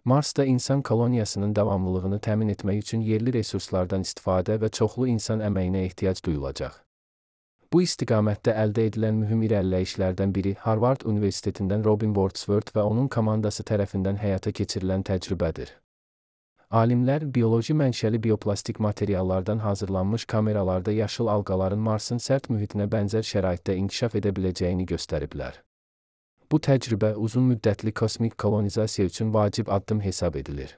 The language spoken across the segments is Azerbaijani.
Marsda insan koloniyasının davamlılığını təmin etmək üçün yerli resurslardan istifadə və çoxlu insan əməyinə ehtiyac duyulacaq. Bu istiqamətdə əldə edilən mühüm irəliləyişlərdən biri Harvard Universitetindən Robin Wordsworth və onun komandası tərəfindən həyata keçirilən təcrübədir. Alimlər bioloji mənşəli bioplastik materiallardan hazırlanmış kameralarda yaşıl alqaların Marsın sərt mühitinə bənzər şəraitdə inkişaf edə biləcəyini göstəriblər. Bu təcrübə uzun müddətli kosmik kolonizasiya üçün vacib addım hesab edilir.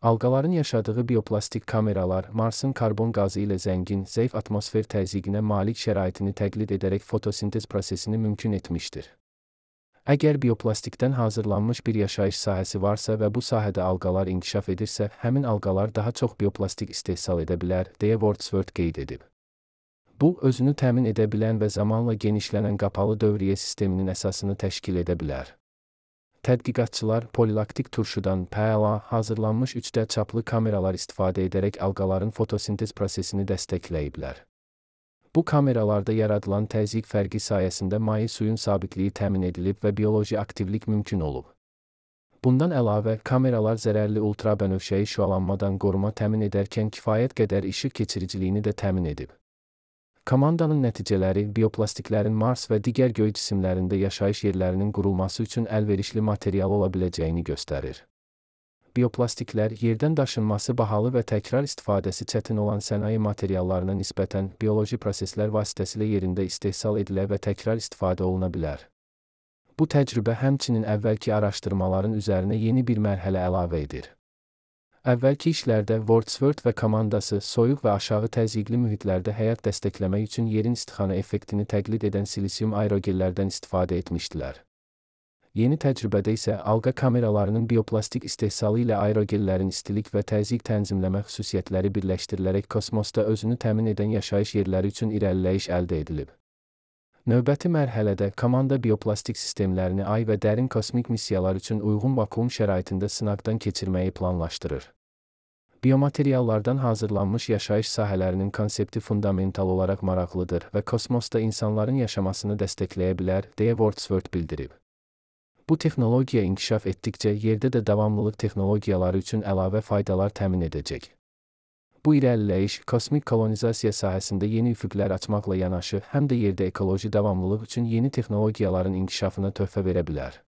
Alqaların yaşadığı bioplastik kameralar Marsın karbon qazı ilə zəngin, zəif atmosfer təzyiqinə malik şəraitini təqlid edərək fotosintez prosesini mümkün etmişdir. Əgər bioplastikdən hazırlanmış bir yaşayış sahəsi varsa və bu sahədə alqalar inkişaf edirsə, həmin alqalar daha çox bioplastik istehsal edə bilər, deyə Wordsworth qeyd edib. Bu, özünü təmin edə bilən və zamanla genişlənən qapalı dövriyyə sisteminin əsasını təşkil edə bilər. Tədqiqatçılar polilaktik turşudan PLA hazırlanmış 3D çaplı kameralar istifadə edərək alqaların fotosintez prosesini dəstəkləyiblər. Bu kameralarda yaradılan təzyiq fərqi sayəsində maye suyun sabitliyi təmin edilib və bioloji aktivlik mümkün olub. Bundan əlavə, kameralar zərərli ultrabənövşəyi şüalanmadan qoruma təmin edərkən kifayət qədər işıq keçiriciliyini də təmin edib. Komandanın nəticələri bioplastiklərin Mars və digər göy cisimlərində yaşayış yerlərinin qurulması üçün əlverişli material ola biləcəyini göstərir. Bioplastiklər yerdən daşınması bahalı və təkrar istifadəsi çətin olan sənaye materiallarına nisbətən bioloji proseslər vasitəsilə yerində istehsal edilə və təkrar istifadə oluna bilər. Bu təcrübə həmçinin əvvəlki araşdırmaların üzərinə yeni bir mərhələ əlavə edir. Əvvəlki işlərdə Wordsworth və komandası soyuq və aşağı təzyiqli mühitlərdə həyat dəstəkləmək üçün yerin istixana effektini təqlid edən silisium aerogellərdən istifadə etmişdilər. Yeni təcrübədə isə alqa kameralarının bioplastik istehsalı ilə aerogellərin istilik və təzyiq tənzimləmə xüsusiyyətləri birləşdirilərək kosmosda özünü təmin edən yaşayış yerləri üçün irəliləyiş əldə edilib. Növbəti mərhələdə komanda bioplastik sistemlərini ay və dərin kosmik missiyalar üçün uyğun vakuum şəraitində sınaqdan keçirməyi planlaşdırır. Biomateriallardan hazırlanmış yaşayış sahələrinin konsepti fundamental olaraq maraqlıdır və kosmosda insanların yaşamasını dəstəkləyə bilər, deyə Wordsworth bildirib. Bu texnologiya inkişaf etdikcə yerdə də davamlılıq texnologiyaları üçün əlavə faydalar təmin edəcək. Bu irəliləyiş kosmik kolonizasiya sahəsində yeni üfüqlər açmaqla yanaşı, həm də yerdə ekoloji davamlılıq üçün yeni texnologiyaların inkişafına töhfə verə bilər.